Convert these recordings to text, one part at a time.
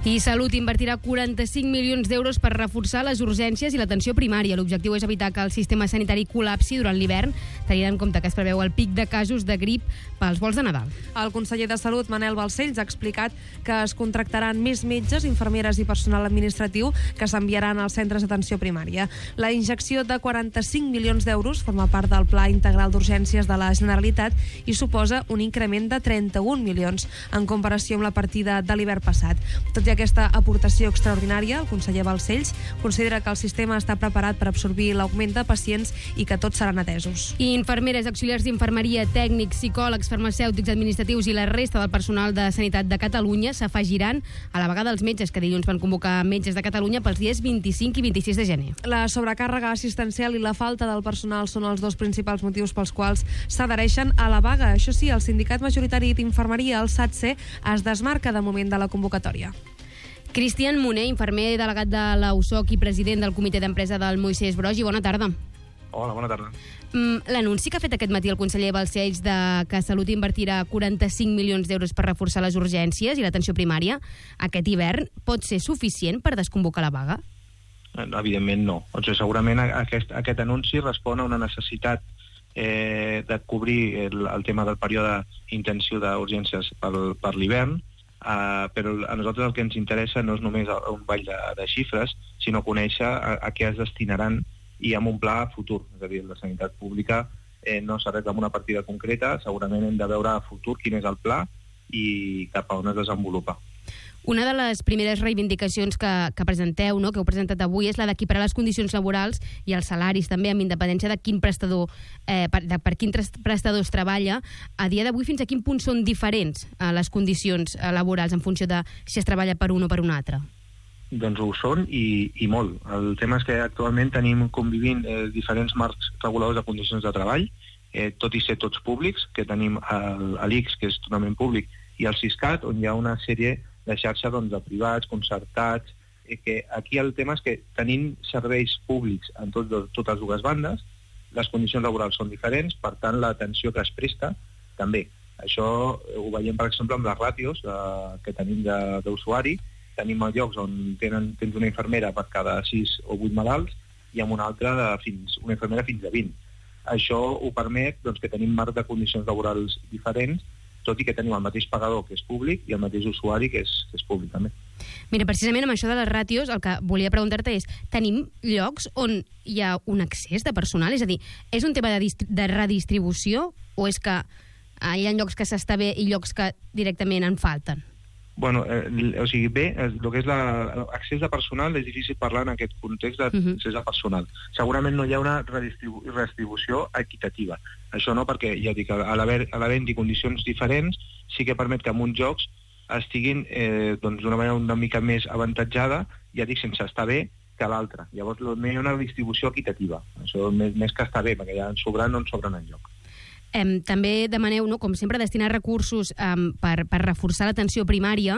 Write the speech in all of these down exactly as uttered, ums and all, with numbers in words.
I Salut invertirà quaranta-cinc milions d'euros per reforçar les urgències i l'atenció primària. L'objectiu és evitar que el sistema sanitari col·lapsi durant l'hivern, tenint en compte que es preveu el pic de casos de grip pels vols de Nadal. El conseller de Salut, Manel Balcells, ha explicat que es contractaran més metges, infermeres i personal administratiu que s'enviaran als centres d'atenció primària. La injecció de quaranta-cinc milions d'euros forma part del Pla Integral d'Urgències de la Generalitat i suposa un increment de trenta-un milions en comparació amb la partida de l'hivern passat. Tot i aquesta aportació extraordinària, el conseller Balcells considera que el sistema està preparat per absorbir l'augment de pacients i que tots seran atesos. I infermeres, auxiliars d'infermeria, tècnics, psicòlegs, farmacèutics, administratius i la resta del personal de sanitat de Catalunya s'afegiran a la vaga dels metges que dilluns van convocar metges de Catalunya pels dies vint-i-cinc i vint-i-sis de gener. La sobrecàrrega assistencial i la falta del personal són els dos principals motius pels quals s'adhereixen a la vaga. Això sí, el sindicat majoritari d'infermeria, el SATSE, es desmarca de moment de la convocatòria. Cristian Moner, infermer delegat de l'A U S O C i president del comitè d'empresa del Moisès Broggi. Bona tarda. Hola, bona tarda. Mm, L'anunci que ha fet aquest matí el conseller Balcells de que Salut invertirà quaranta-cinc milions d'euros per reforçar les urgències i l'atenció primària aquest hivern pot ser suficient per desconvocar la vaga? Evidentment no. O sigui, segurament aquest, aquest anunci respon a una necessitat eh, de cobrir el, el tema del període intensiu d'urgències per, per l'hivern. Uh, però a nosaltres el que ens interessa no és només un ball de, de xifres, sinó conèixer a, a què es destinaran i amb un pla futur. És a dir, la sanitat pública eh, no s'arregla amb una partida concreta, segurament hem de veure a futur quin és el pla i cap a on es desenvolupa. Una de les primeres reivindicacions que, que presenteu, no, que heu presentat avui, és la d'equiparar les condicions laborals i els salaris també, amb independència de quin prestador, eh, per, de, per quin prestador es treballa. A dia d'avui, fins a quin punt són diferents eh, les condicions eh, laborals en funció de si es treballa per un o per un altre? Doncs ho són i, i molt. El tema és que actualment tenim convivint eh, diferents marcs reguladors de condicions de treball, eh, tot i ser tots públics, que tenim l'I C S, que és totalment públic, i el Siscat, on hi ha una sèrie de xarxa doncs, de privats, concertats, eh, que aquí el tema és que tenint serveis públics en tot, totes dues bandes, les condicions laborals són diferents, per tant l'atenció que es presta també. Això ho veiem, per exemple, amb les ràtios eh, que tenim d'usuari. Tenim llocs on tenen, tens una infermera per cada sis o vuit malalts i amb una altra de fins, una infermera fins a vint. Això ho permet doncs, que tenim marc de condicions laborals diferents, tot i que tenim el mateix pagador, que és públic, i el mateix usuari, que és, que és públic també. Mira, precisament amb això de les ràtios, el que volia preguntar-te és, tenim llocs on hi ha un excés de personal? És a dir, és un tema de, de redistribució o és que eh, hi ha llocs que s'està bé i llocs que directament en falten? Bueno, eh, o sigui, bé, el que és l'accés de personal és difícil parlar en aquest context d'accés de personal. Segurament no hi ha una redistribu redistribució equitativa. Això no, perquè ja dic, a l'haver-hi condicions diferents sí que permet que en uns jocs estiguin eh, doncs, d'una manera una mica més avantatjada, ja dic, sense estar bé que l'altra. Llavors no hi ha una distribució equitativa. Això més, més que estar bé, perquè ja en sobren no en sobren enlloc. Eh, també demaneu, no, com sempre, destinar recursos eh, per, per reforçar l'atenció primària.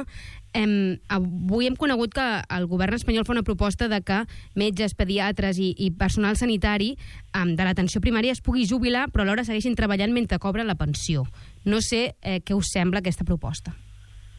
Eh, avui hem conegut que el govern espanyol fa una proposta de que metges, pediatres i, i personal sanitari eh, de l'atenció primària es pugui jubilar, però alhora segueixin treballant mentre cobren la pensió. No sé eh, què us sembla aquesta proposta.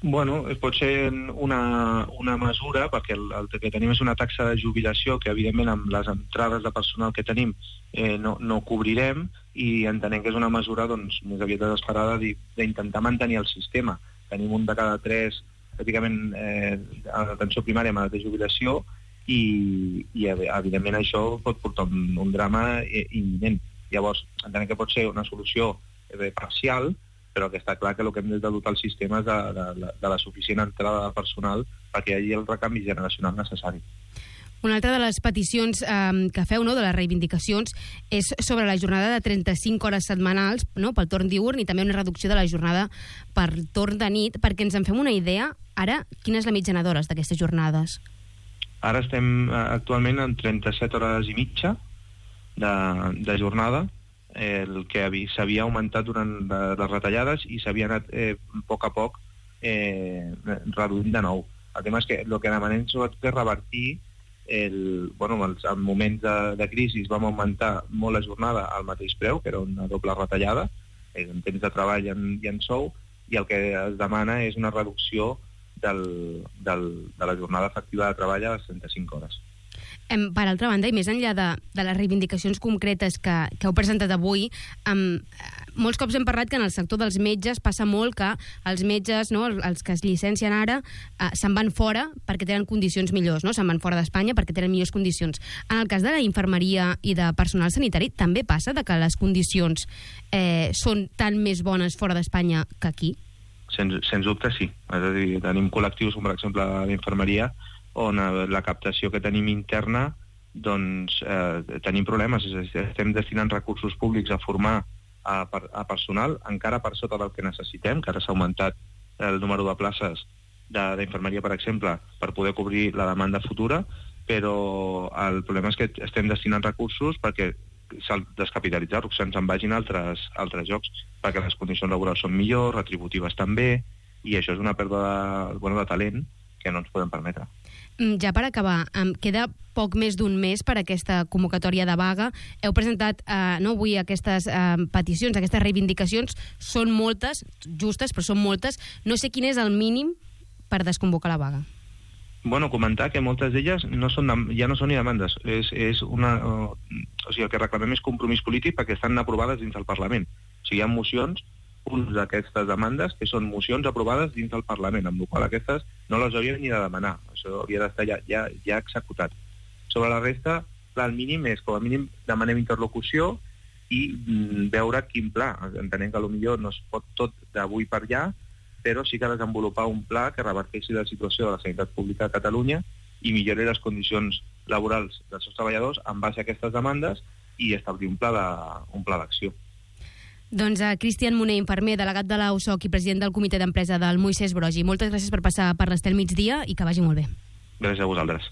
Bueno, pot ser una, una mesura, perquè el, el que tenim és una taxa de jubilació que, evidentment, amb les entrades de personal que tenim eh, no, no cobrirem, i entenem que és una mesura doncs, més aviat desesperada d'intentar mantenir el sistema. Tenim un de cada tres, pràcticament, eh, a l'atenció primària amb edat de jubilació, i, i evidentment això pot portar un, un drama imminent. Llavors, entenem que pot ser una solució eh, parcial, però que està clar que el que hem de dotar el sistema és de, de, de la suficient entrada de personal perquè hi hagi el recanvi generacional necessari. Una altra de les peticions eh, que feu, no, de les reivindicacions, és sobre la jornada de trenta-cinc hores setmanals, no, pel torn diürn, i també una reducció de la jornada per torn de nit, perquè ens en fem una idea, ara, quina és la mitjana d'hores d'aquestes jornades? Ara estem actualment en trenta-set hores i mitja de, de jornada, el que s'havia augmentat durant les retallades i s'havia anat eh, a poc a poc eh, reduint de nou. El tema és que el que demanem sobretot és revertir el, bueno, els, en moments de, de crisi vam augmentar molt la jornada al mateix preu, que era una doble retallada, en temps de treball i en, i en sou, i el que es demana és una reducció del, del, de la jornada efectiva de treball a les trenta-cinc hores. Per altra banda, i més enllà de, de les reivindicacions concretes que, que heu presentat avui, um, molts cops hem parlat que en el sector dels metges passa molt que els metges, no, els que es llicencien ara, uh, se'n van fora perquè tenen condicions millors, no? Se'n van fora d'Espanya perquè tenen millors condicions. En el cas de la infermeria i de personal sanitari, també passa de que les condicions eh, són tan més bones fora d'Espanya que aquí? Sens, sens dubte sí. És a dir, tenim col·lectius com per exemple l'infermeria, on la captació que tenim interna, doncs eh, tenim problemes. Estem destinant recursos públics a formar a, a personal, encara per sota del que necessitem, que ara s'ha augmentat el número de places d'infermeria, per exemple, per poder cobrir la demanda futura, però el problema és que estem destinant recursos perquè s'han descapitalitzat, que se'ns en vagin altres, altres llocs, perquè les condicions laborals són millors, retributives també, i això és una pèrdua de, bueno, de talent que no ens podem permetre. Ja per acabar, queda poc més d'un mes per a aquesta convocatòria de vaga. Heu presentat eh, no, avui aquestes eh, peticions, aquestes reivindicacions. Són moltes, justes, però són moltes. No sé quin és el mínim per desconvocar la vaga. Bueno, comentar que moltes d'elles no són, ja no són ni demandes. És, és una, o sigui, el que reclamem és compromís polític perquè estan aprovades dins del Parlament. O sigui, hi ha mocions, uns d'aquestes demandes que són mocions aprovades dins del Parlament, amb la qual aquestes no les hauríem ni de demanar. Això hauria d'estar ja, ja, ja executat. Sobre la resta, el mínim és, com a mínim, demanem interlocució i mm, veure quin pla. Entenem que potser no es pot tot d'avui per allà, però sí que desenvolupar un pla que reverteixi la situació de la sanitat pública a Catalunya i millori les condicions laborals dels seus treballadors en base a aquestes demandes i establir un pla de, un pla d'acció. Doncs a Cristian Moner, infermer, delegat de l'A U S O C i president del comitè d'empresa del Moisès Broggi. Moltes gràcies per passar per l'Estel Migdia i que vagi molt bé. Gràcies a vosaltres.